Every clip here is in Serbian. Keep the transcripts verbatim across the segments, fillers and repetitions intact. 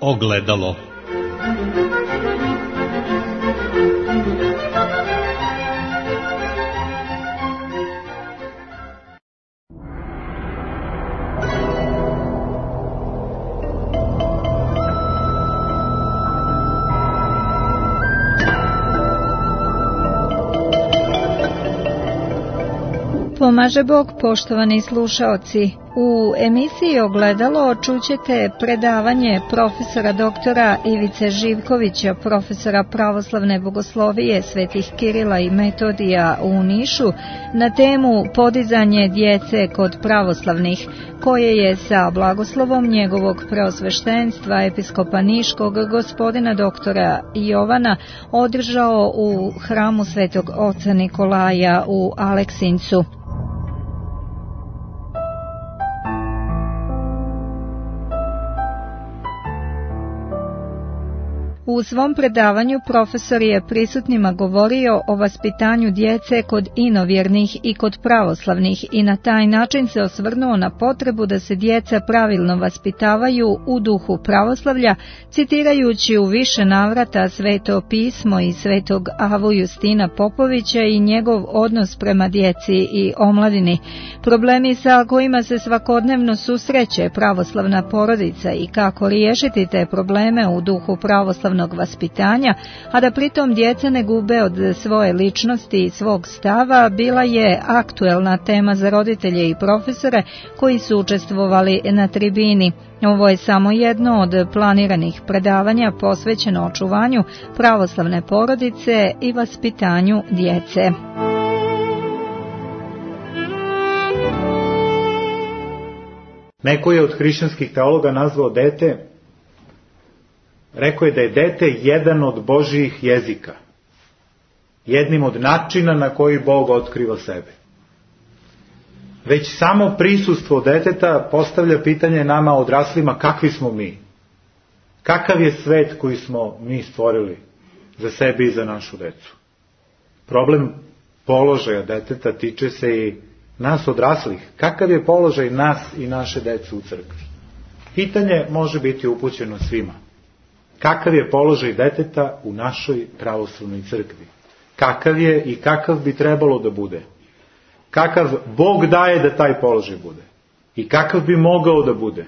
Ogledalo. Pomaže Bog, poštovani slušaoci. U emisiji Ogledalo čućete predavanje profesora doktora Ivice Živkovića, profesora pravoslavne bogoslovije Svetih Kirila i Metodija u Nišu, na temu podizanje djece kod pravoslavnih, koje je sa blagoslovom njegovog preosveštenstva episkopa Niškog gospodina doktora Jovana održao u hramu Svetog oca Nikolaja u Aleksincu. U svom predavanju profesor je prisutnima govorio o vaspitanju djece kod inovjernih i kod pravoslavnih i na taj način se osvrnuo na potrebu da se djeca pravilno vaspitavaju u duhu pravoslavlja, citirajući u više navrata Sveto pismo i Svetog Avu Justina Popovića i njegov odnos prema djeci i omladini. Problemi sa kojima se svakodnevno susreće pravoslavna porodica i kako riješiti te probleme u duhu pravoslavnog vaspitanja, a da pritom djeca ne gube od svoje ličnosti i svog stava, bila je aktuelna tema za roditelje i profesore koji su učestvovali na tribini. Ovo je samo jedno od planiranih predavanja posvećeno očuvanju pravoslavne porodice i vaspitanju djece. Neko je od hrišćanskih teologa nazvao dete, rekao je da je dete jedan od Božjih jezika, jednim od načina na koji Bog otkriva sebe. Već samo prisustvo deteta postavlja pitanje nama odraslima kakvi smo mi, kakav je svet koji smo mi stvorili za sebe i za našu decu. Problem položaja deteta tiče se i nas odraslih, kakav je položaj nas i naše dece u crkvi. Pitanje može biti upućeno svima. Kakav je položaj deteta u našoj pravoslavnoj crkvi? Kakav je i kakav bi trebalo da bude? Kakav Bog daje da taj položaj bude? I kakav bi mogao da bude?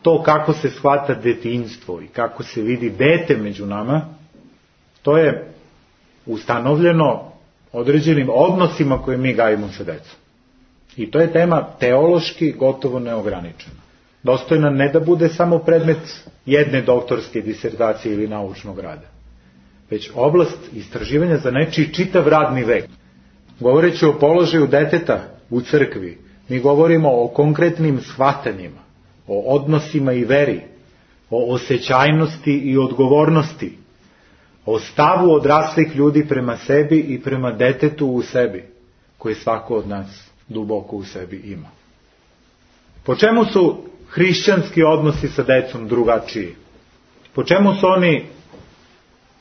To kako se shvata detinjstvo i kako se vidi dete među nama, to je ustanovljeno određenim odnosima koje mi gajimo sa decom. I to je tema teološki gotovo neograničena. Dostojna ne da bude samo predmet jedne doktorske disertacije ili naučnog rada, već oblast istraživanja za nečiji čitav radni vek. Govoreći o položaju deteta u crkvi, mi govorimo o konkretnim shvatanjima, o odnosima i veri, o osjećajnosti i odgovornosti, o stavu odraslih ljudi prema sebi i prema detetu u sebi, koje svako od nas duboko u sebi ima. Po čemu su hrišćanski odnosi sa decom drugačiji? Po čemu su oni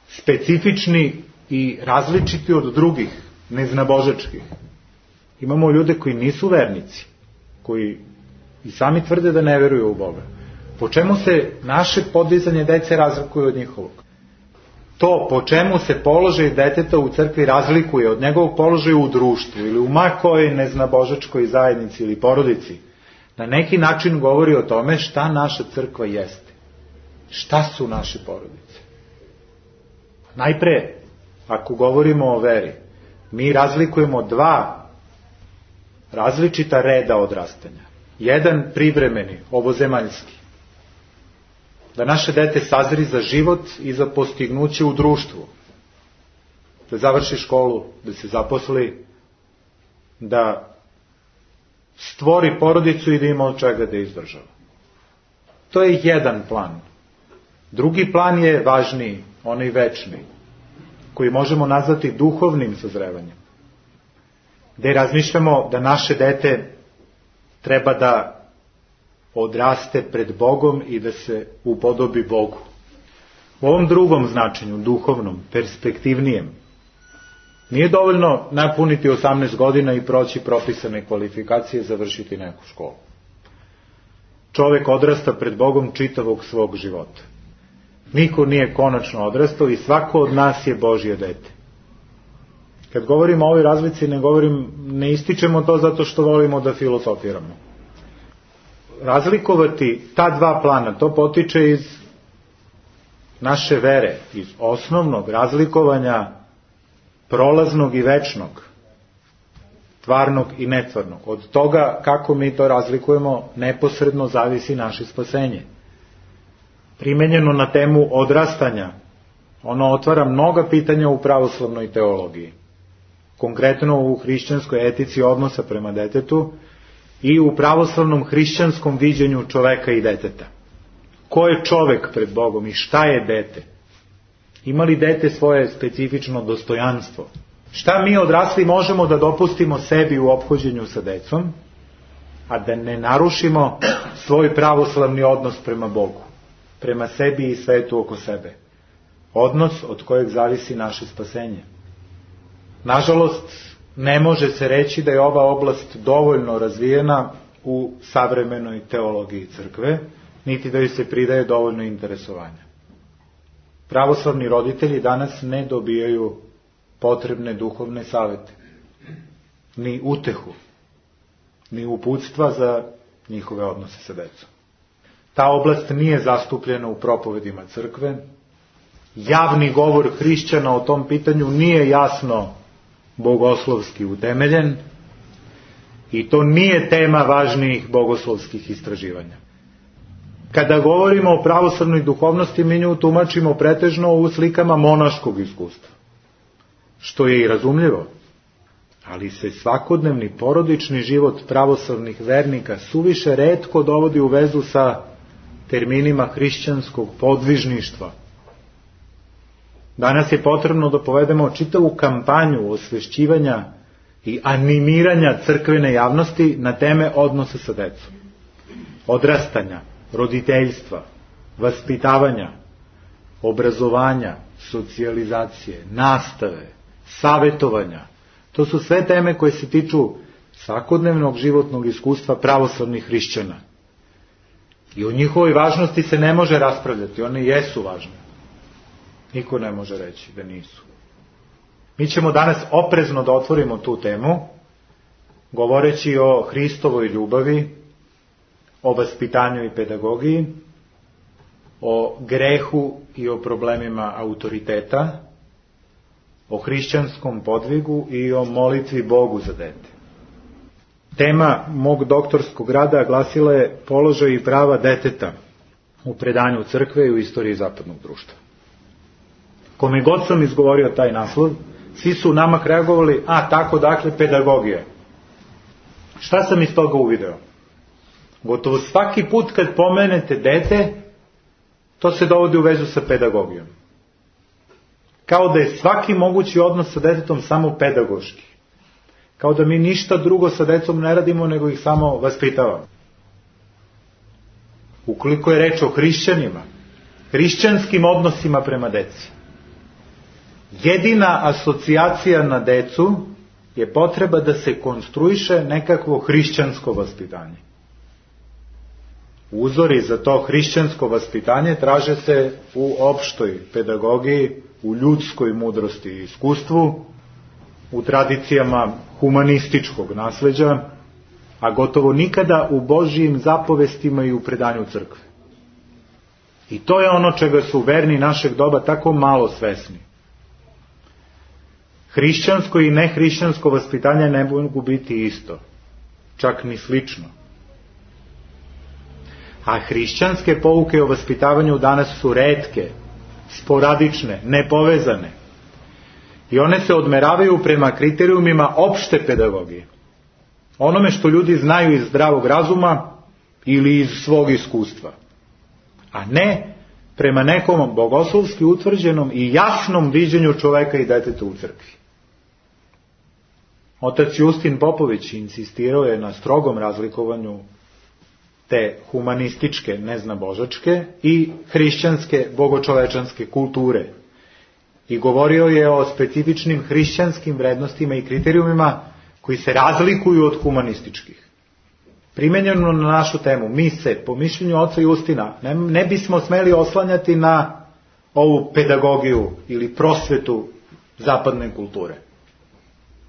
specifični i različiti od drugih, neznabožačkih? Imamo ljude koji nisu vernici, koji i sami tvrde da ne veruju u Boga. Po čemu se naše podizanje dece razlikuje od njihovog? To po čemu se položaj deteta u crkvi razlikuje od njegovog položaja u društvu ili u makoj neznabožačkoj zajednici ili porodici, na neki način govori o tome šta naša crkva jeste. Šta su naše porodice? Najpre, ako govorimo o veri, mi razlikujemo dva različita reda odrastanja. Jedan privremeni, ovozemaljski. Da naše dete sazri za život i za postignuće u društvu. Da završi školu, da se zaposli, da stvori porodicu i da ima od čega da izdržava. To je jedan plan. Drugi plan je važniji, onaj večni, koji možemo nazvati duhovnim sazrevanjem. Gde razmišljamo da naše dete treba da odraste pred Bogom i da se upodobi Bogu. U ovom drugom značenju, duhovnom, perspektivnijem, nije dovoljno napuniti osamnaest godina i proći propisane kvalifikacije, završiti neku školu. čovek odrasta pred Bogom čitavog svog života. Niko nije konačno odrastao i svako od nas je Božje dete. Kad govorimo o ovoj razlici, ne govorim, ne ističemo to zato što volimo da filosofiramo. Razlikovati ta dva plana, to potiče iz naše vere, iz osnovnog razlikovanja prolaznog i večnog, tvarnog i netvarnog. Od toga kako mi to razlikujemo neposredno zavisi naše spasenje. Primenjeno na temu odrastanja, ono otvara mnoga pitanja u pravoslavnoj teologiji. Konkretno u hrišćanskoj etici odnosa prema detetu i u pravoslavnom hrišćanskom viđenju čoveka i deteta. Ko je čovek pred Bogom i šta je dete? Ima li dete svoje specifično dostojanstvo? Šta mi odrasli možemo da dopustimo sebi u ophođenju sa decom, a da ne narušimo svoj pravoslavni odnos prema Bogu, prema sebi i svetu oko sebe? Odnos od kojeg zavisi naše spasenje. Nažalost, ne može se reći da je ova oblast dovoljno razvijena u savremenoj teologiji crkve, niti da joj se pridaje dovoljno interesovanja. Pravoslavni roditelji danas ne dobijaju potrebne duhovne savete, ni utehu, ni uputstva za njihove odnose sa decom. Ta oblast nije zastupljena u propovedima crkve. Javni govor hrišćana o tom pitanju nije jasno bogoslovski utemeljen i to nije tema važnijih bogoslovskih istraživanja. Kada govorimo o pravoslavnoj duhovnosti, mi nju tumačimo pretežno u slikama monaškog iskustva, što je i razumljivo, ali se svakodnevni porodični život pravoslavnih vernika suviše retko dovodi u vezu sa terminima hrišćanskog podvižništva. Danas je potrebno da povedemo čitavu kampanju osvešćivanja i animiranja crkvene javnosti na teme odnosa sa decom, odrastanja, roditeljstva, vaspitavanja, obrazovanja, socijalizacije, nastave, savetovanja. To su sve teme koje se tiču svakodnevnog životnog iskustva pravoslavnih hrišćana. I o njihovoj važnosti se ne može raspravljati, one jesu važne. Niko ne može reći da nisu. Mi ćemo danas oprezno da otvorimo tu temu, govoreći o Hristovoj ljubavi, o vaspitanju i pedagogiji, o grehu i o problemima autoriteta, o hrišćanskom podvigu i o molitvi Bogu za dete. Tema mog doktorskog rada glasila je položaj i prava deteta u predanju crkve i u istoriji zapadnog društva. Kome god sam izgovorio taj naslov, svi su namak reagovali, a tako dakle pedagogija. Šta sam iz toga uvideo? Gotovo svaki put kad pomenete dete, to se dovodi u vezu sa pedagogijom. Kao da je svaki mogući odnos sa detetom samo pedagoški. Kao da mi ništa drugo sa decom ne radimo, nego ih samo vaspitavamo. Ukoliko je reč o hrišćanima, hrišćanskim odnosima prema deci, jedina asocijacija na decu je potreba da se konstruiše nekakvo hrišćansko vaspitanje. Uzori za to hrišćansko vaspitanje traže se u opštoj pedagogiji, u ljudskoj mudrosti i iskustvu, u tradicijama humanističkog nasleđa, a gotovo nikada u Božjim zapovestima i u predanju crkve. I to je ono čega su verni našeg doba tako malo svesni. Hrišćansko i nehrišćansko vaspitanje ne mogu biti isto, čak ni slično. A hrišćanske pouke o vaspitavanju danas su retke, sporadične, nepovezane. I one se odmeravaju prema kriterijumima opšte pedagogije. Onome što ljudi znaju iz zdravog razuma ili iz svog iskustva. A ne prema nekom bogoslovski utvrđenom i jasnom viđenju čoveka i deteta u crkvi. Otac Justin Popović insistirao je na strogom razlikovanju te humanističke, neznabožačke i hrišćanske, bogočovečanske kulture. I govorio je o specifičnim hrišćanskim vrednostima i kriterijumima koji se razlikuju od humanističkih. primenjeno na našu temu, mi se, po mišljenju oca Justina, ne, ne bismo smeli oslanjati na ovu pedagogiju ili prosvetu zapadne kulture.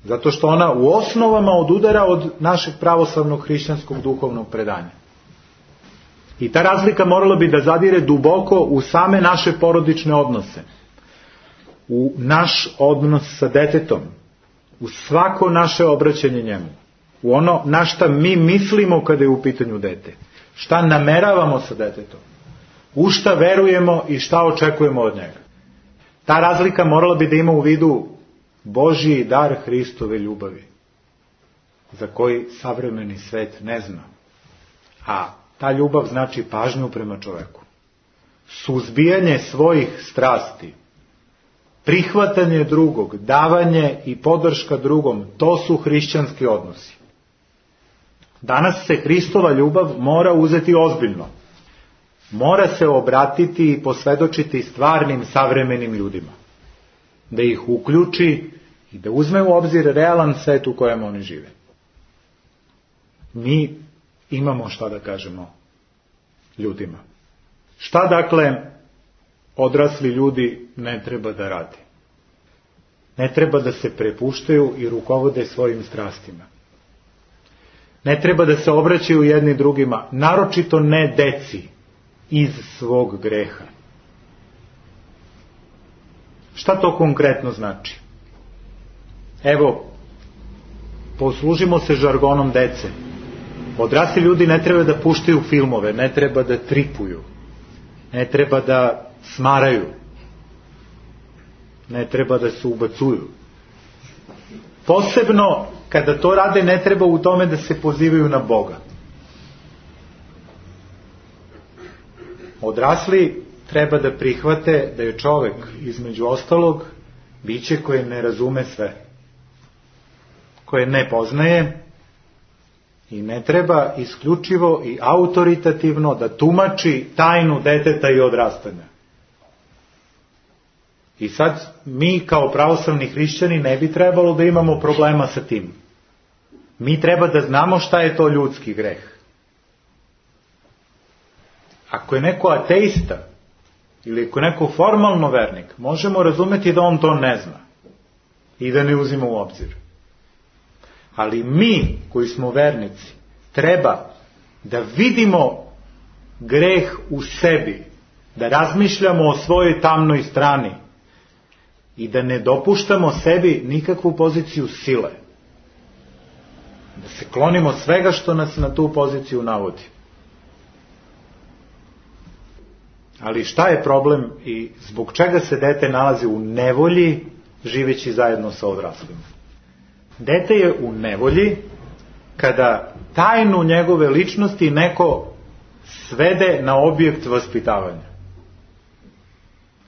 Zato što ona u osnovama odudara od našeg pravoslavnog hrišćanskog duhovnog predanja. I ta razlika morala bi da zadire duboko u same naše porodične odnose, u naš odnos sa detetom, u svako naše obraćanje njemu, u ono na šta mi mislimo kada je u pitanju dete, šta nameravamo sa detetom, u šta verujemo i šta očekujemo od njega. Ta razlika morala bi da ima u vidu Božji dar Hristove ljubavi, za koji savremeni svet ne zna. A ta ljubav znači pažnju prema čoveku, suzbijanje svojih strasti, prihvatanje drugog, davanje i podrška drugom, to su hrišćanski odnosi. Danas se Hristova ljubav mora uzeti ozbiljno. Mora se obratiti i posvedočiti stvarnim savremenim ljudima. Da ih uključi i da uzme u obzir realan svet u kojem oni žive. Mi imamo šta da kažemo ljudima. Šta dakle odrasli ljudi ne treba da rade? Ne treba da se prepuštaju i rukovode svojim strastima. Ne treba da se obraćaju jedni drugima, naročito ne deci, iz svog greha. Šta to konkretno znači? Evo, poslužimo se žargonom dece. Odrasli ljudi ne treba da puštaju filmove, ne treba da tripuju, ne treba da smaraju, ne treba da se ubacuju. Posebno, kada to rade, ne treba u tome da se pozivaju na Boga. Odrasli treba da prihvate da je čovek, između ostalog, biće koje ne razume sve, koje ne poznaje i ne treba isključivo i autoritativno da tumači tajnu deteta i odrastanja. I sad mi kao pravoslavni hrišćani ne bi trebalo da imamo problema sa tim. Mi treba da znamo šta je to ljudski greh. Ako je neko ateista ili ako je neko formalno vernik, možemo razumeti da on to ne zna i da ne uzima u obzir. Ali mi koji smo vernici treba da vidimo greh u sebi, da razmišljamo o svojoj tamnoj strani i da ne dopuštamo sebi nikakvu poziciju sile. Da se klonimo svega što nas na tu poziciju navodi. Ali šta je problem i zbog čega se dete nalazi u nevolji živeći zajedno sa odraslima? Dete je u nevolji kada tajnu njegove ličnosti neko svede na objekt vaspitavanja.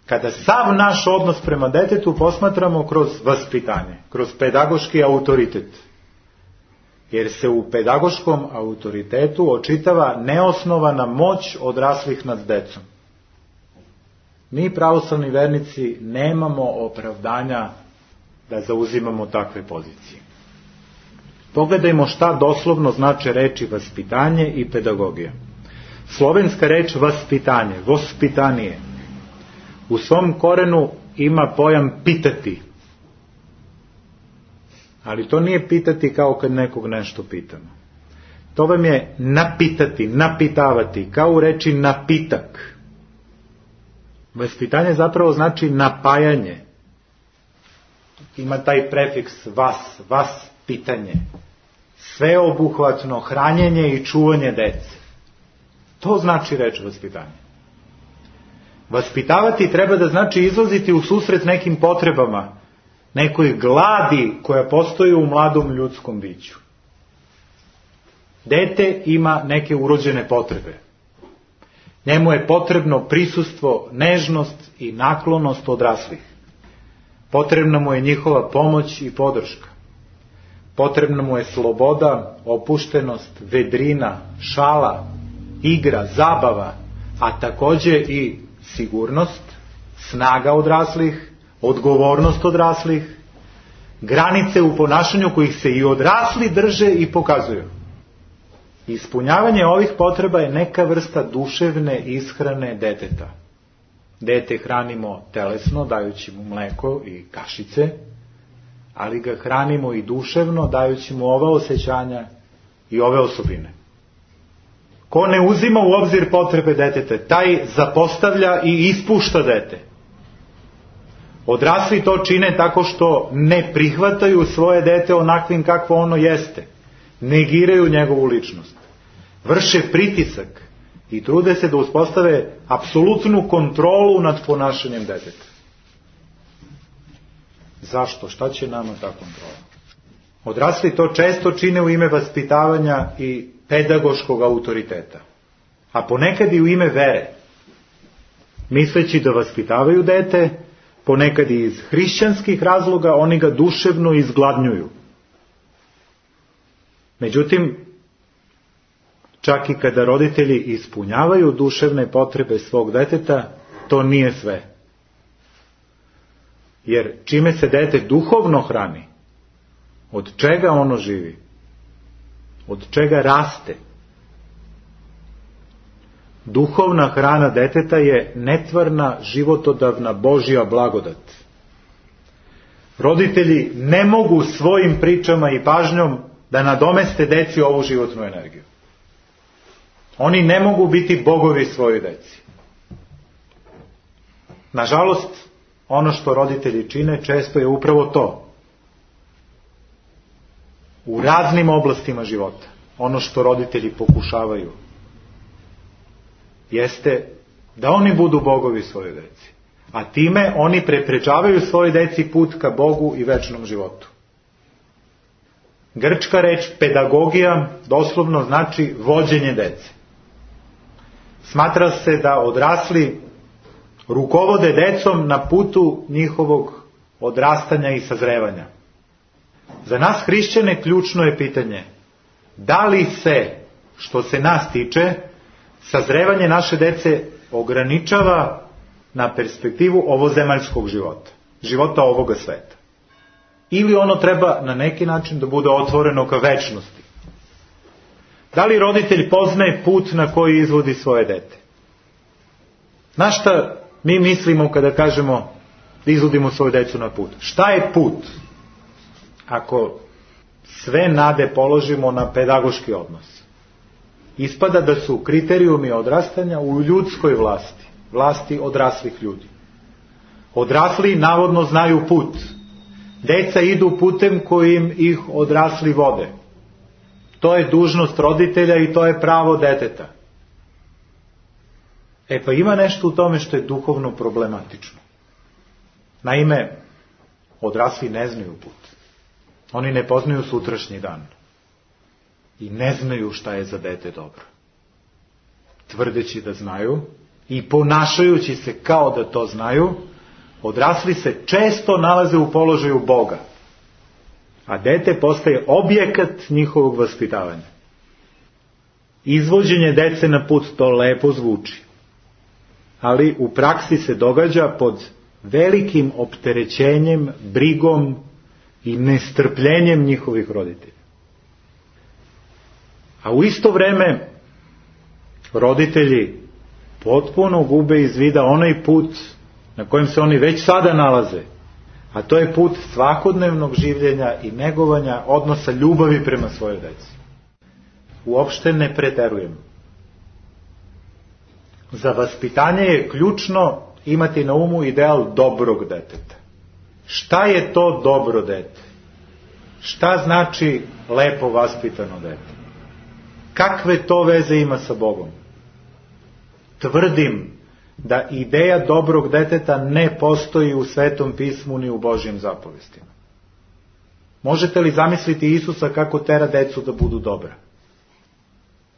Kada sav naš odnos prema detetu posmatramo kroz vaspitanje, kroz pedagoški autoritet. Jer se u pedagoškom autoritetu očitava neosnovana moć odraslih nad decom. Mi, pravoslavni vernici, nemamo opravdanja da zauzimamo takve pozicije. Pogledajmo šta doslovno znače reči vaspitanje i pedagogija. Slovenska reč vaspitanje, vospitanije, u svom korenu ima pojam pitati. Ali to nije pitati kao kad nekog nešto pitamo. To vam je napitati, napitavati, kao u reči napitak. Vaspitanje zapravo znači napajanje. Ima taj prefiks vas, vas pitanje. Sveobuhvatno hranjenje i čuvanje dece. To znači reč vaspitanje. Vaspitavati treba da znači izlaziti u susret nekim potrebama, nekoj gladi koja postoji u mladom ljudskom biću. Dete ima neke urođene potrebe. Njemu je potrebno prisustvo, nežnost i naklonost odraslih. Potrebna mu je njihova pomoć i podrška. Potrebna mu je sloboda, opuštenost, vedrina, šala, igra, zabava, a takođe i sigurnost, snaga odraslih, odgovornost odraslih, granice u ponašanju kojih se i odrasli drže i pokazuju. Ispunjavanje ovih potreba je neka vrsta duševne ishrane deteta. Dete hranimo telesno, dajući mu mleko i kašice, ali ga hranimo i duševno, dajući mu ova osjećanja i ove osobine. Ko ne uzima u obzir potrebe deteta, taj zapostavlja i ispušta dete. Odrasli to čine tako što ne prihvataju svoje dete onakvim kakvo ono jeste. Negiraju njegovu ličnost. Vrše pritisak i trude se da uspostave apsolutnu kontrolu nad ponašanjem deteta. Zašto? Šta će nama ta kontrola? Odrasli to često čine u ime vaspitavanja i pedagoškog autoriteta, a ponekad i u ime vere, misleći da vaspitavaju dete, ponekad i iz hrišćanskih razloga, oni ga duševno izgladnjuju. Međutim, čak i kada roditelji ispunjavaju duševne potrebe svog deteta, to nije sve. Jer čime se dete duhovno hrani, od čega ono živi, od čega raste. Duhovna hrana deteta je netvarna, životodavna Božja blagodat. Roditelji ne mogu svojim pričama i pažnjom da nadomeste deci ovu životnu energiju. Oni ne mogu biti bogovi svojoj deci. Nažalost, ono što roditelji čine često je upravo to. U raznim oblastima života, ono što roditelji pokušavaju, jeste da oni budu bogovi svojoj deci. A time oni preprečavaju svojoj deci put ka Bogu i večnom životu. Grčka reč pedagogija doslovno znači vođenje dece. Smatra se da odrasli rukovode decom na putu njihovog odrastanja i sazrevanja. Za nas hrišćane ključno je pitanje, da li se, što se nas tiče, sazrevanje naše dece ograničava na perspektivu ovozemaljskog života, života ovoga sveta. Ili ono treba na neki način da bude otvoreno ka večnosti. Da li roditelj poznaje put na koji izvodi svoje dete? Na šta mi mislimo kada kažemo da izvodimo svoju decu na put? Šta je put? Ako sve nade položimo na pedagoški odnos, ispada da su kriterijumi odrastanja u ljudskoj vlasti, vlasti odraslih ljudi. Odrasli navodno znaju put. Deca idu putem kojim ih odrasli vode. To je dužnost roditelja i to je pravo deteta. E pa ima nešto u tome što je duhovno problematično. Naime, odrasli ne znaju put. Oni ne poznaju sutrašnji dan. I ne znaju šta je za dete dobro. Tvrdeći da znaju i ponašajući se kao da to znaju, odrasli se često nalaze u položaju Boga. A dete postaje objekat njihovog vaspitavanja. Izvođenje dece na put to lepo zvuči. Ali u praksi se događa pod velikim opterećenjem, brigom i nestrpljenjem njihovih roditelja. A u isto vreme roditelji potpuno gube iz vida onaj put na kojem se oni već sada nalaze, a to je put svakodnevnog življenja i negovanja odnosa ljubavi prema svojoj deci. Uopšte ne preterujem. Za vaspitanje je ključno imati na umu ideal dobrog deteta. Šta je to dobro dete? Šta znači lepo vaspitano dete? Kakve to veze ima sa Bogom? Tvrdim da ideja dobrog deteta ne postoji u Svetom pismu ni u Božjim zapovestima. Možete li zamisliti Isusa kako tera decu da budu dobra?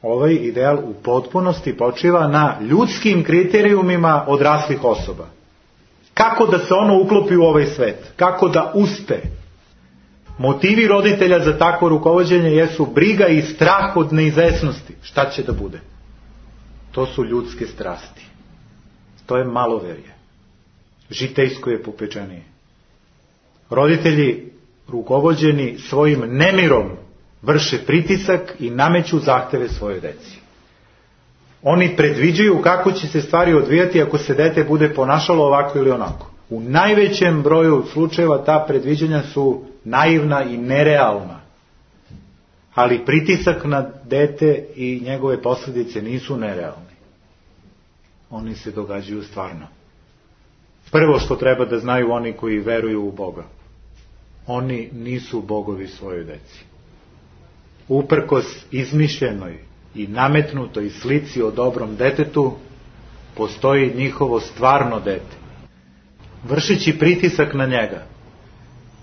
Ovaj ideal u potpunosti počiva na ljudskim kriterijumima odraslih osoba. Kako da se ono uklopi u ovaj svet? Kako da uspe? Motivi roditelja za takvo rukovođenje jesu briga i strah od neizvesnosti. Šta će da bude? To su ljudske strasti. To je maloverje. Žitejsko je popečenije. Roditelji rukovođeni svojim nemirom vrše pritisak i nameću zahteve svojoj deci. Oni predviđaju kako će se stvari odvijati ako se dete bude ponašalo ovako ili onako. U najvećem broju slučajeva ta predviđanja su naivna i nerealna. Ali pritisak na dete i njegove posljedice nisu nerealni. Oni se događaju stvarno. Prvo što treba da znaju oni koji veruju u Boga. Oni nisu bogovi svojoj deci. Uprkos izmišljenoj i nametnutoj slici o dobrom detetu, postoji njihovo stvarno dete. Vršeći pritisak na njega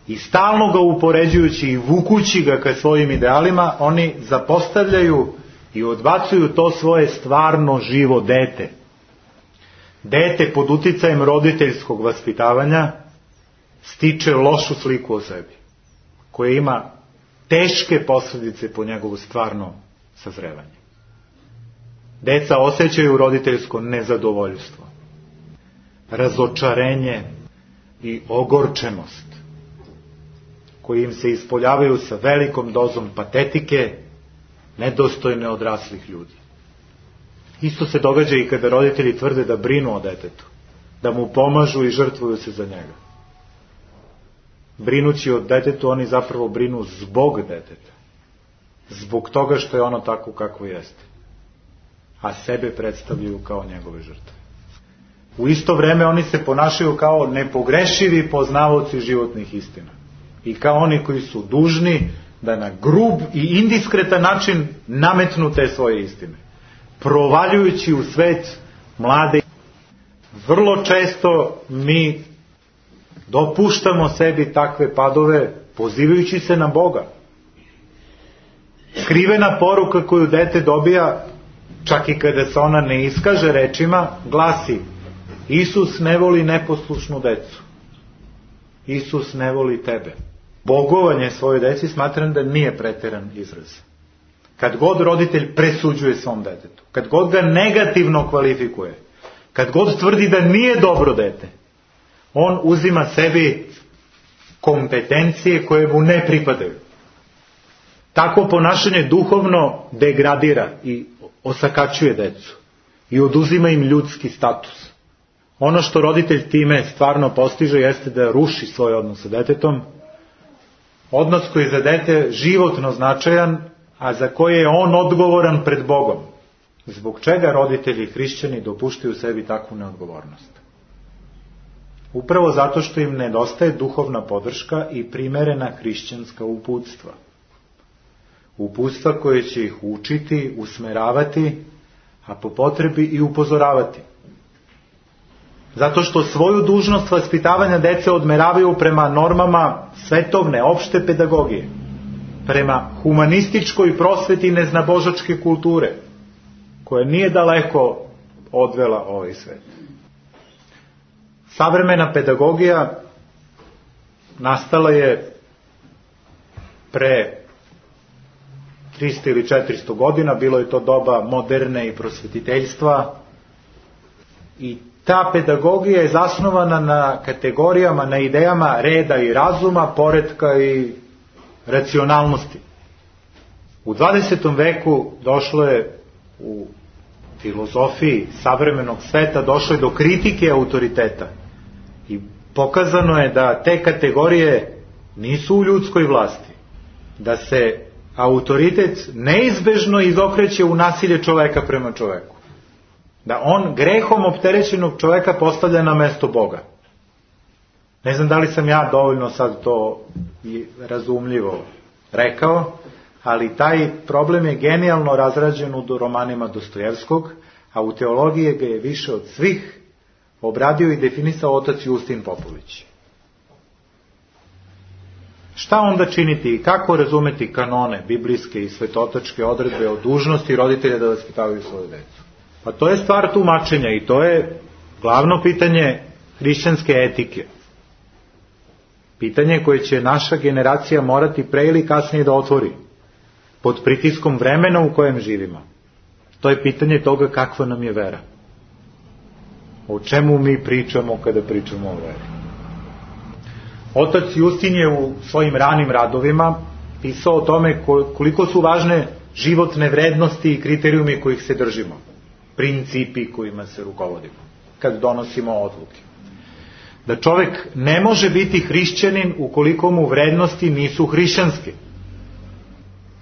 i stalno ga upoređujući i vukući ga ka svojim idealima, oni zapostavljaju i odbacuju to svoje stvarno živo dete. Dete pod uticajem roditeljskog vaspitavanja stiče lošu sliku o sebi, koja ima teške posljedice po njegovo stvarno sazrevanje. Deca osjećaju roditeljsko nezadovoljstvo, razočarenje i ogorčenost, koji im se ispoljavaju sa velikom dozom patetike, nedostojne odraslih ljudi. Isto se događa i kada roditelji tvrde da brinu o detetu, da mu pomažu i žrtvuju se za njega. Brinući o detetu, oni zapravo brinu zbog deteta. Zbog toga što je ono tako kako jeste. A sebe predstavljaju kao njegove žrtve. U isto vreme oni se ponašaju kao nepogrešivi poznavaoci životnih istina. I kao oni koji su dužni da na grub i indiskretan način nametnu te svoje istine. Provaljujući u svet mlade. Vrlo često mi dopuštamo sebi takve padove pozivajući se na Boga. Skrivena poruka koju dete dobija, čak i kada se ona ne iskaže rečima, glasi: Isus ne voli neposlušnu decu. Isus ne voli tebe. Bogovanje svoje deci smatram da nije preteran izraz. Kad god roditelj presuđuje svom detetu, kad god ga negativno kvalifikuje, kad god tvrdi da nije dobro dete, on uzima sebi kompetencije koje mu ne pripadaju. Tako ponašanje duhovno degradira i osakačuje decu i oduzima im ljudski status. Ono što roditelj time stvarno postiže jeste da ruši svoj odnos sa detetom, odnos koji je za dete životno značajan, a za koje je on odgovoran pred Bogom. Zbog čega roditelji i hrišćani dopuštaju sebi takvu neodgovornost? Upravo zato što im nedostaje duhovna podrška i primerena hrišćanska uputstva. Uputstva koje će ih učiti, usmeravati, a po potrebi i upozoravati. Zato što svoju dužnost vaspitavanja dece odmeravaju prema normama svetovne, opšte pedagogije, prema humanističkoj prosveti neznabožačke kulture, koja nije daleko odvela ovaj svet. Savremena pedagogija nastala je pre trista ili četiristo godina, bilo je to doba moderne i prosvetiteljstva, i ta pedagogija je zasnovana na kategorijama, na idejama reda i razuma, poretka i racionalnosti. U dvadesetom veku došlo je u filozofiji savremenog sveta, došlo je do kritike autoriteta. I pokazano je da te kategorije nisu u ljudskoj vlasti. Da se autoritet neizbežno izokreće u nasilje čoveka prema čoveku. Da on grehom opterećenog čoveka postavlja na mesto Boga. Ne znam da li sam ja dovoljno sad to razumljivo rekao, ali taj problem je genijalno razrađen u romanima Dostojevskog, a u teologiji ga je više od svih obradio i definisao otac Justin Popović. Šta onda činiti i kako razumeti kanone, biblijske i svetotačke odredbe o dužnosti roditelja da vaspitavaju svoju decu? Pa to je stvar tumačenja i to je glavno pitanje hrišćanske etike. Pitanje koje će naša generacija morati pre ili kasnije da otvori, pod pritiskom vremena u kojem živimo. To je pitanje toga kakva nam je vera. O čemu mi pričamo kada pričamo o veri. Otac Justin je u svojim ranim radovima pisao o tome koliko su važne životne vrednosti i kriterijumi kojih se držimo, principi kojima se rukovodimo kad donosimo odluke. Da čovek ne može biti hrišćanin ukoliko mu vrednosti nisu hrišćanske.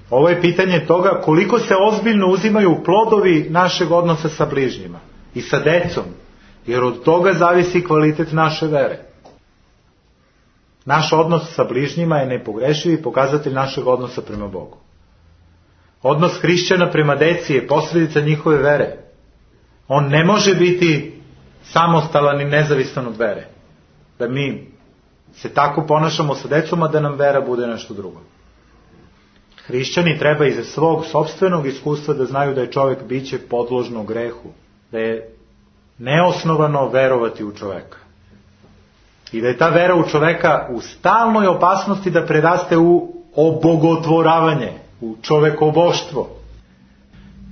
Ovo je pitanje toga koliko se ozbiljno uzimaju plodovi našeg odnosa sa bližnjima i sa decom, jer od toga zavisi kvalitet naše vere. Naš odnos sa bližnjima je nepogrešiv i pokazatelj našeg odnosa prema Bogu. Odnos hrišćana prema deci je posljedica njihove vere. On ne može biti samostalan i nezavisan od vere. Da mi se tako ponašamo sa decom, a da nam vera bude nešto drugo. Hrišćani treba iz svog sopstvenog iskustva da znaju da je čovjek biće podložno grehu, da je neosnovano verovati u čoveka. I da je ta vera u čoveka u stalnoj opasnosti da preraste u obogotvoravanje, u čovekoboštvo.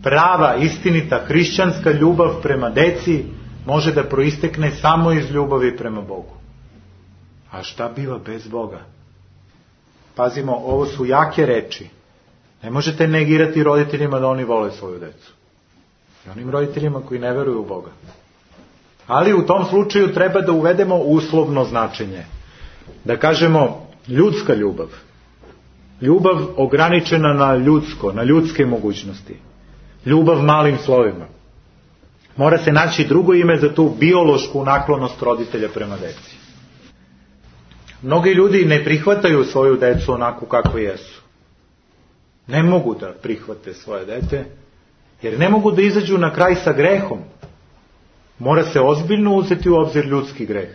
Prava, istinita, hrišćanska ljubav prema deci može da proistekne samo iz ljubavi prema Bogu. A šta biva bez Boga? Pazimo, ovo su jake reči. Ne možete negirati roditeljima da oni vole svoju decu. I onim roditeljima koji ne veruju u Boga. Ali u tom slučaju treba da uvedemo uslovno značenje. Da kažemo ljudska ljubav. Ljubav ograničena na ljudsko, na ljudske mogućnosti. Ljubav malim slovima. Mora se naći drugo ime za tu biološku naklonost roditelja prema deci. Mnogi ljudi ne prihvataju svoju decu onako kako jesu. Ne mogu da prihvate svoje dete, jer ne mogu da izađu na kraj sa grehom. Mora se ozbiljno uzeti u obzir ljudski greh.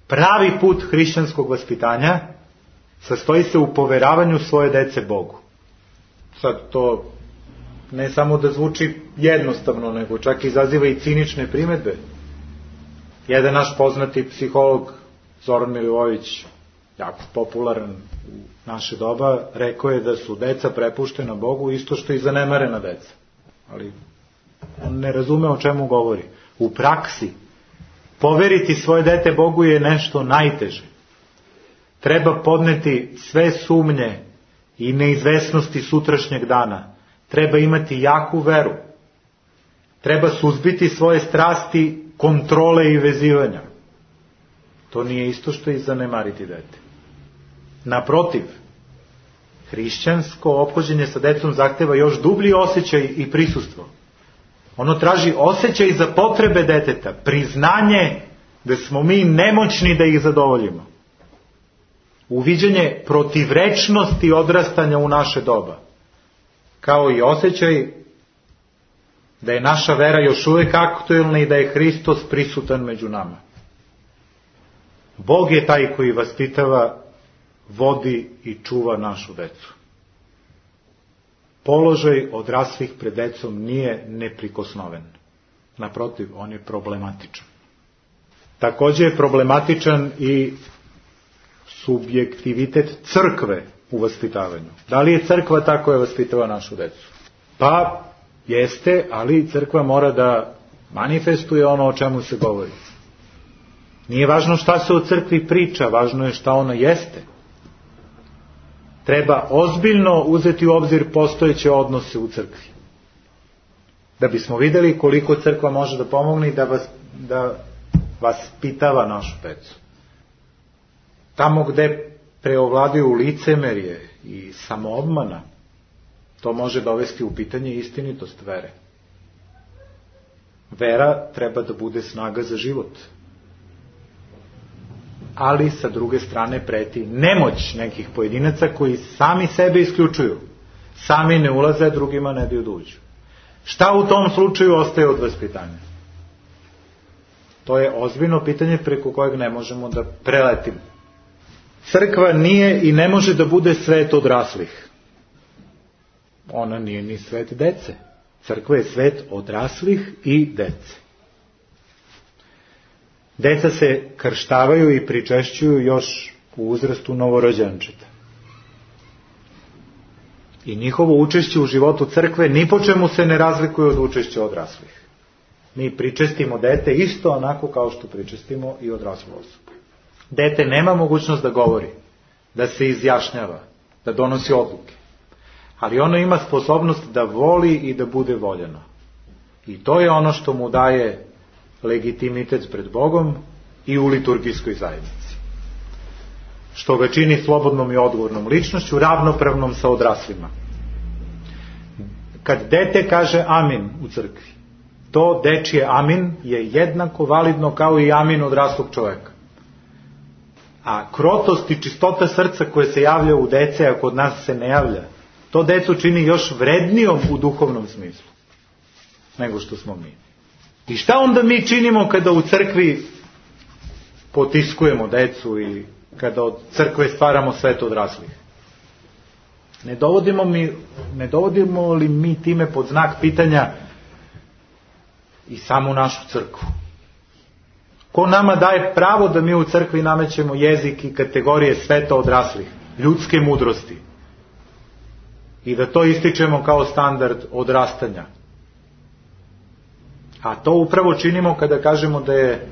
Pravi put hrišćanskog vaspitanja sastoji se u poveravanju svoje dece Bogu. Sad to ne samo da zvuči jednostavno, nego čak izaziva i cinične primedbe. Jedan naš poznati psiholog, Zoran Milivojević, jako popularan u naše doba, rekao je da su deca prepuštena Bogu isto što i zanemarena deca. Ali on ne razume o čemu govori. U praksi, poveriti svoje dete Bogu je nešto najteže. Treba podneti sve sumnje i neizvesnosti sutrašnjeg dana. Treba imati jaku veru. Treba suzbiti svoje strasti, kontrole i vezivanja. To nije isto što i zanemariti dete. Naprotiv, hrišćansko ophođenje sa decom zahteva još dublji osjećaj i prisustvo. Ono traži osjećaj za potrebe deteta, priznanje da smo mi nemoćni da ih zadovoljimo. Uviđanje protivrečnosti odrastanja u naše doba, kao i osjećaj da je naša vera još uvijek aktuelna i da je Hristos prisutan među nama. Bog je taj koji vaspitava, vodi i čuva našu decu. Položaj odraslih pred decom nije neprikosnoven. Naprotiv, on je problematičan. Također je problematičan i subjektivitet crkve u vaspitavanju. Da li je crkva ta koja vaspitava našu decu? Pa jeste, ali crkva mora da manifestuje ono o čemu se govori. Nije važno šta se o crkvi priča, važno je šta ona jeste. Treba ozbiljno uzeti u obzir postojeće odnose u crkvi. Da bismo vidjeli koliko crkva može da pomogne i da vas, da vas pitava našu decu. Tamo gde preovladaju licemerje i samoobmana, to može dovesti u pitanje istinitost vere. Vera treba da bude snaga za život. Ali sa druge strane preti nemoć nekih pojedinaca koji sami sebe isključuju. Sami ne ulaze, drugima ne daju da uđu. Šta u tom slučaju ostaje od vaspitanja? To je ozbiljno pitanje preko kojeg ne možemo da preletimo. Crkva nije i ne može da bude svet odraslih. Ona nije ni svet dece. Crkva je svet odraslih i dece. Deca se krštavaju i pričešćuju još u uzrastu novorođenčeta. I njihovo učešće u životu crkve ni po čemu se ne razlikuje od učešća odraslih. Mi pričestimo dete isto onako kao što pričestimo i odraslu osobu. Dete nema mogućnost da govori, da se izjašnjava, da donosi odluke. Ali ono ima sposobnost da voli i da bude voljeno. I to je ono što mu daje legitimitet pred Bogom i u liturgijskoj zajednici. Što ga čini slobodnom i odgovornom ličnošću, ravnopravnom sa odraslima. Kad dete kaže amin u crkvi, to dečije amin je jednako validno kao i amin odraslog čoveka. A krotost i čistota srca koje se javlja u dece, a kod nas se ne javlja, to decu čini još vrednijom u duhovnom smislu nego što smo mi. I šta onda mi činimo kada u crkvi potiskujemo decu i kada od crkve stvaramo svet odraslih? Ne dovodimo, mi, ne dovodimo li mi time pod znak pitanja i samu našu crkvu? Ko nama daje pravo da mi u crkvi namećemo jezik i kategorije sveta odraslih, ljudske mudrosti i da to ističemo kao standard odrastanja? A to upravo činimo kada kažemo da je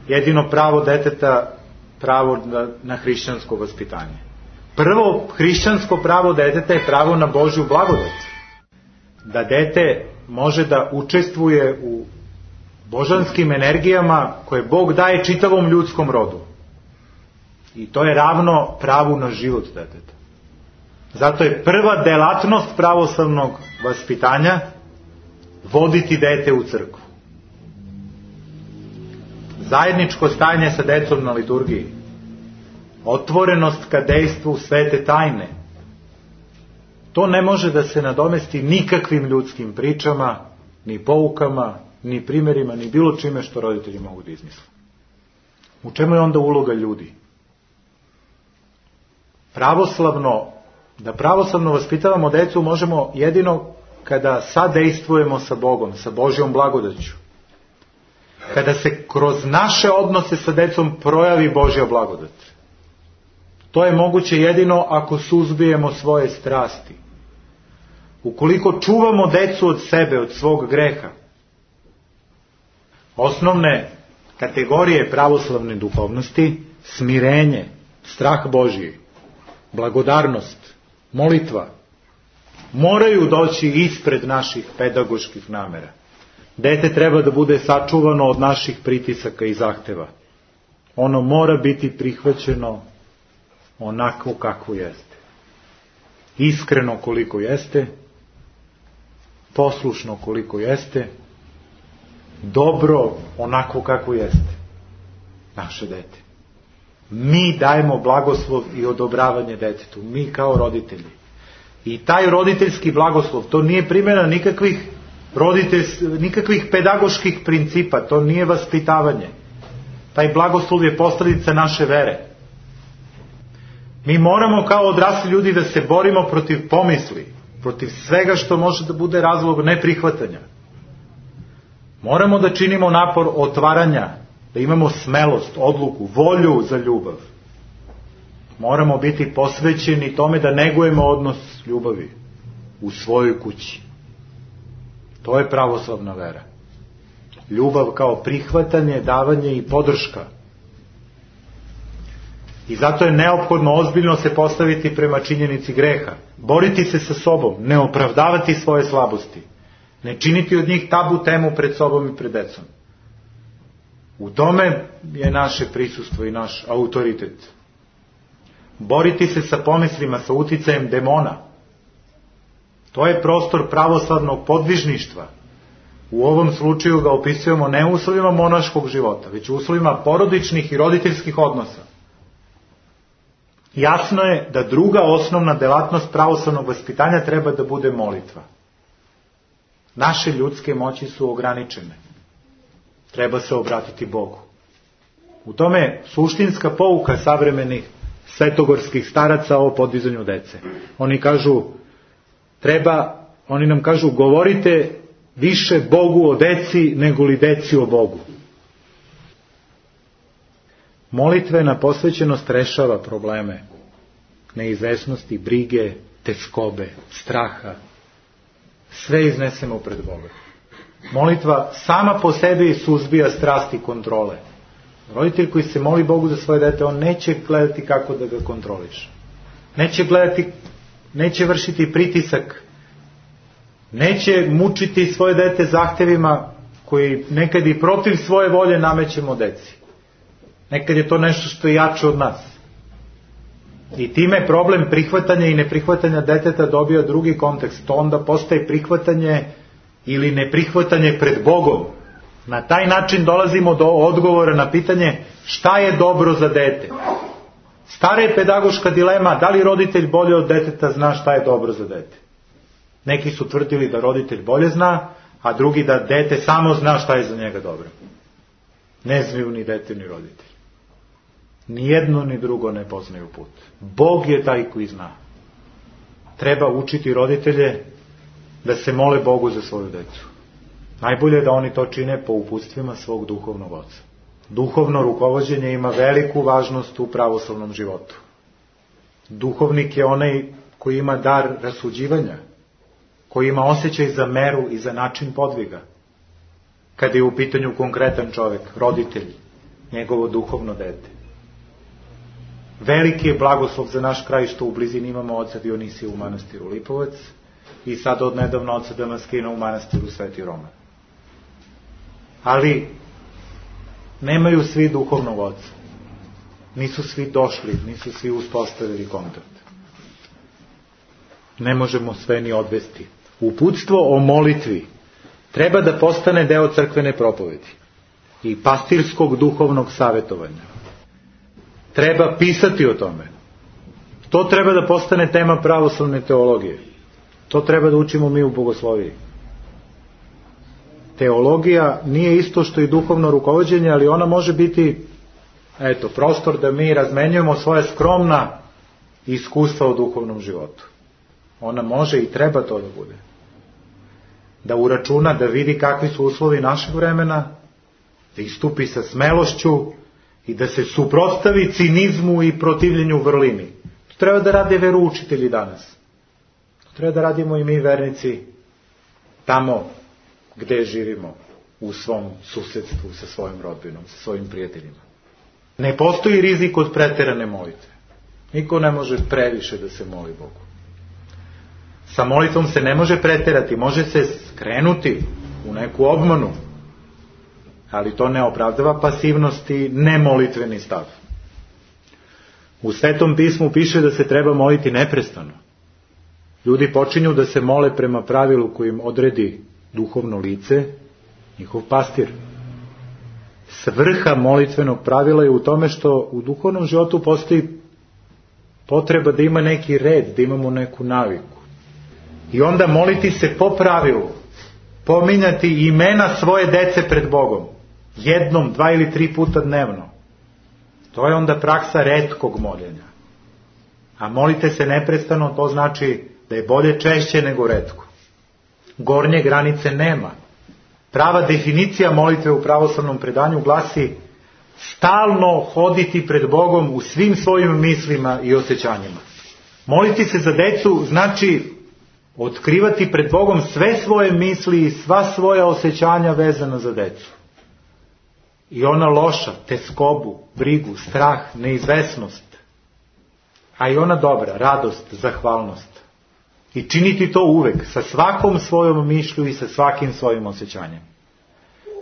jedino pravo deteta pravo na, na hrišćansko vaspitanje. Prvo hrišćansko pravo deteta je pravo na Božju blagodat. Da dete može da učestvuje u božanskim energijama koje Bog daje čitavom ljudskom rodu. I to je ravno pravu na život deteta. Zato je prva delatnost pravoslavnog vaspitanja voditi dete u crkvu. Zajedničko stajanje sa decom na liturgiji, otvorenost ka dejstvu svete tajne, to ne može da se nadomesti nikakvim ljudskim pričama, ni poukama, ni primjerima, ni bilo čime što roditelji mogu da izmisle. U čemu je onda uloga ljudi? Pravoslavno, da pravoslavno vaspitavamo decu možemo jedino kada sadejstvujemo sa Bogom, sa Božjom blagodaću. Kada se kroz naše odnose sa decom projavi Božja blagodat. To je moguće jedino ako suzbijemo svoje strasti. Ukoliko čuvamo decu od sebe, od svog greha. Osnovne kategorije pravoslavne duhovnosti, smirenje, strah Božji, blagodarnost, molitva, moraju doći ispred naših pedagoških namera. Dete treba da bude sačuvano od naših pritisaka i zahteva. Ono mora biti prihvaćeno onako kako jeste. Iskreno koliko jeste, poslušno koliko jeste, dobro onako kako jeste. Naše dete. Mi dajemo blagoslov i odobravanje detetu. Mi kao roditelji. I taj roditeljski blagoslov, to nije primjena nikakvih nikakvih pedagoških principa, to nije vaspitavanje. Taj blagoslov je posledica naše vere. Mi moramo kao odrasli ljudi da se borimo protiv pomisli, protiv svega što može da bude razlog neprihvatanja. Moramo da činimo napor otvaranja, da imamo smelost, odluku, volju za ljubav. Moramo biti posvećeni tome da negujemo odnos ljubavi u svojoj kući. To je pravoslavna vera. Ljubav kao prihvatanje, davanje i podrška. I zato je neophodno ozbiljno se postaviti prema činjenici greha. Boriti se sa sobom, ne opravdavati svoje slabosti. Ne činiti od njih tabu temu pred sobom i pred decom. U tome je naše prisustvo i naš autoritet. Boriti se sa pomislima, sa uticajem demona. To je prostor pravoslavnog podvižništva. U ovom slučaju ga opisujemo ne u uslovima monaškog života, već u uslovima porodičnih i roditeljskih odnosa. Jasno je da druga osnovna delatnost pravoslavnog vaspitanja treba da bude molitva. Naše ljudske moći su ograničene. Treba se obratiti Bogu. U tome je suštinska pouka savremenih svetogorskih staraca o podizanju dece. Oni kažu, treba, oni nam kažu, govorite više Bogu o deci nego li deci o Bogu. Molitvena posvećenost rešava probleme neizvesnosti, brige, teškobe, straha. Sve iznesemo pred Boga. Molitva sama po sebi suzbija strasti kontrole. Roditelj koji se moli Bogu za svoje dete, on neće gledati kako da ga kontroliše. Neće gledati, neće vršiti pritisak, neće mučiti svoje dete zahtevima koji nekad i protiv svoje volje namećemo deci. Nekad je to nešto što je jače od nas. I time problem prihvatanja i neprihvatanja deteta dobija drugi kontekst. To onda postaje prihvatanje ili neprihvatanje pred Bogom. Na taj način dolazimo do odgovora na pitanje šta je dobro za dete. Stara je pedagoška dilema, da li roditelj bolje od deteta zna šta je dobro za dete. Neki su tvrdili da roditelj bolje zna, a drugi da dete samo zna šta je za njega dobro. Ne znaju ni dete ni roditelj. Ni jedno ni drugo ne poznaju put. Bog je taj koji zna. Treba učiti roditelje da se mole Bogu za svoju decu. Najbolje je da oni to čine po uputstvima svog duhovnog oca. Duhovno rukovođenje ima veliku važnost u pravoslavnom životu. Duhovnik je onaj koji ima dar rasuđivanja, koji ima osjećaj za meru i za način podviga. Kad je u pitanju konkretan čovjek, roditelj, njegovo duhovno dete. Veliki je blagoslov za naš kraj što u blizini imamo oca Dionisija u manastiru Lipovac i sad odnedavno oca Damaskina u manastiru Sveti Roman. Ali nemaju svi duhovnog oca. Nisu svi došli, nisu svi uspostavili kontakt. Ne možemo sve ni odvesti. Uputstvo o molitvi treba da postane deo crkvene propovedi i pastirskog duhovnog savjetovanja. Treba pisati o tome. To treba da postane tema pravoslavne teologije. To treba da učimo mi u bogosloviji. Teologija nije isto što i duhovno rukovođenje, ali ona može biti, eto, prostor da mi razmenjujemo svoje skromna iskustva u duhovnom životu. Ona može i treba to da bude. Da uračuna, da vidi kakvi su uslovi našeg vremena, da istupi sa smelošću i da se suprotstavi cinizmu i protivljenju vrlini. To treba da rade veroučitelji danas. To treba da radimo i mi vernici tamo gde živimo, u svom susedstvu, sa svojim rodbinom, sa svojim prijateljima. Ne postoji rizik od preterane molitve. Niko ne može previše da se moli Bogu. Sa molitvom se ne može preterati, može se skrenuti u neku obmanu, ali to ne opravdava pasivnost i nemolitveni stav. U Svetom pismu piše da se treba moliti neprestano. Ljudi počinju da se mole prema pravilu kojim odredi duhovno lice, njihov pastir. Svrha molitvenog pravila je u tome što u duhovnom životu postoji potreba da ima neki red, da imamo neku naviku. I onda moliti se po pravilu, pominjati imena svoje dece pred Bogom, jednom, dva ili tri puta dnevno. To je onda praksa retkog moljenja. A molite se neprestano, to znači da je bolje češće nego retko. Gornje granice nema. Prava definicija molitve u pravoslavnom predanju glasi stalno hoditi pred Bogom u svim svojim mislima i osjećanjima. Moliti se za decu znači otkrivati pred Bogom sve svoje misli i sva svoja osjećanja vezana za decu. I ona loša, teskobu, brigu, strah, neizvesnost. A i ona dobra, radost, zahvalnost. I činiti to uvek, sa svakom svojom mišlju i sa svakim svojim osjećanjem.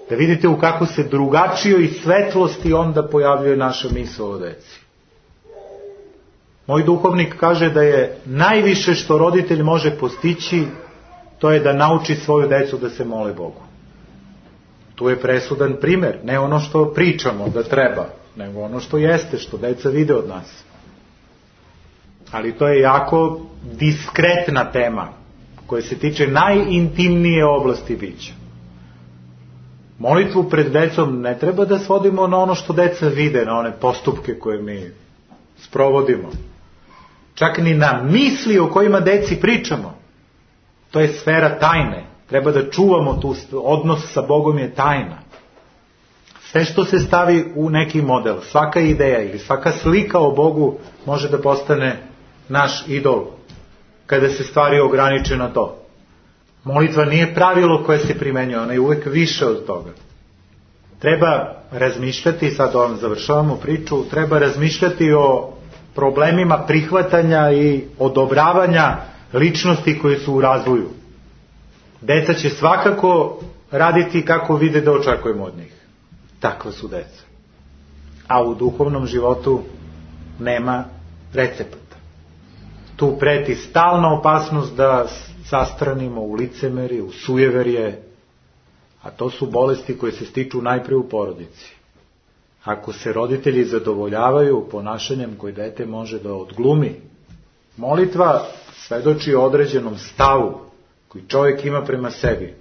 Da vidite u kako se drugačijoj svetlosti onda pojavljuje naša misao o deci. Moj duhovnik kaže da je najviše što roditelj može postići, to je da nauči svoju decu da se mole Bogu. Tu je presudan primer, ne ono što pričamo da treba, nego ono što jeste, što deca vide od nas. Ali to je jako diskretna tema, koja se tiče najintimnije oblasti bića. Molitvu pred decom ne treba da svodimo na ono što deca vide, na one postupke koje mi sprovodimo. Čak ni na misli o kojima deci pričamo. To je sfera tajne. Treba da čuvamo tu, odnos sa Bogom je tajna. Sve što se stavi u neki model, svaka ideja ili svaka slika o Bogu može da postane naš idol, kada se stvari ograniče na to. Molitva nije pravilo koje se primenjuje, ona je uvek više od toga. Treba razmišljati, sad ovom završavamo priču, treba razmišljati o problemima prihvatanja i odobravanja ličnosti koje su u razvoju. Deca će svakako raditi kako vide da očekujemo od njih. Takva su deca. A u duhovnom životu nema recepata. Tu preti stalna opasnost da zastranimo u licemeri, u sujeverje, a to su bolesti koje se stiču najpre u porodici. Ako se roditelji zadovoljavaju ponašanjem koje dete može da odglumi, molitva svedoči o određenom stavu koji čovjek ima prema sebi.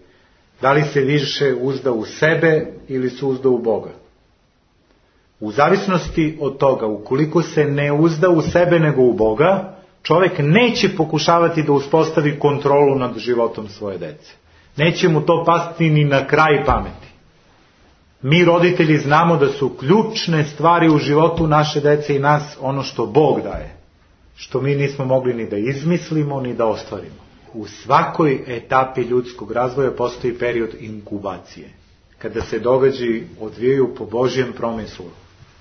Da li se više uzda u sebe ili se uzda u Boga? U zavisnosti od toga, ukoliko se ne uzda u sebe nego u Boga, čovjek neće pokušavati da uspostavi kontrolu nad životom svoje dece. Neće mu to pasti ni na kraj pameti. Mi roditelji znamo da su ključne stvari u životu naše dece i nas ono što Bog daje, što mi nismo mogli ni da izmislimo ni da ostvarimo. U svakoj etapi ljudskog razvoja postoji period inkubacije, kada se događaji odvijaju po Božjem promislu,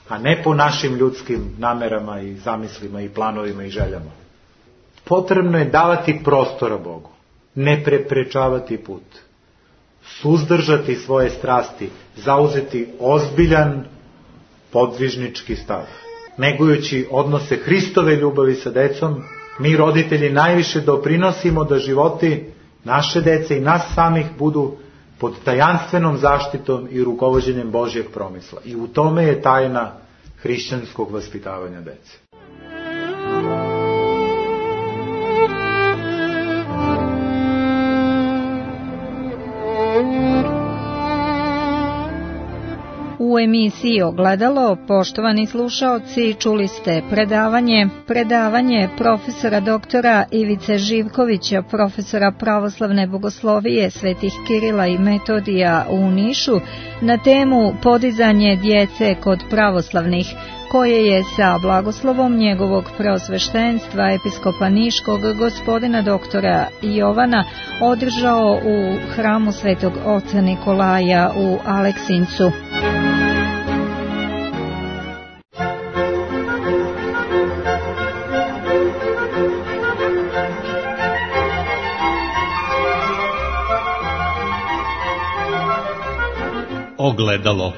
a ne po našim ljudskim namerama i zamislima i planovima i željama. Potrebno je davati prostora Bogu, ne preprečavati put, suzdržati svoje strasti, zauzeti ozbiljan podvižnički stav. Negujući odnose Hristove ljubavi sa decom, mi roditelji najviše doprinosimo da životi naše dece i nas samih budu pod tajanstvenom zaštitom i rukovođenjem Božjeg promisla. I u tome je tajna hrišćanskog vaspitavanja dece. U emisiji Ogledalo, poštovani slušaoci, čuli ste predavanje, predavanje profesora doktora Ivice Živkovića, profesora pravoslavne bogoslovije Svetih Kirila i Metodija u Nišu, na temu podizanje djece kod pravoslavnih, koje je sa blagoslovom njegovog preosveštenstva episkopa Niškog gospodina doktora Jovana održao u hramu Svetog oca Nikolaja u Aleksincu. Ogledalo.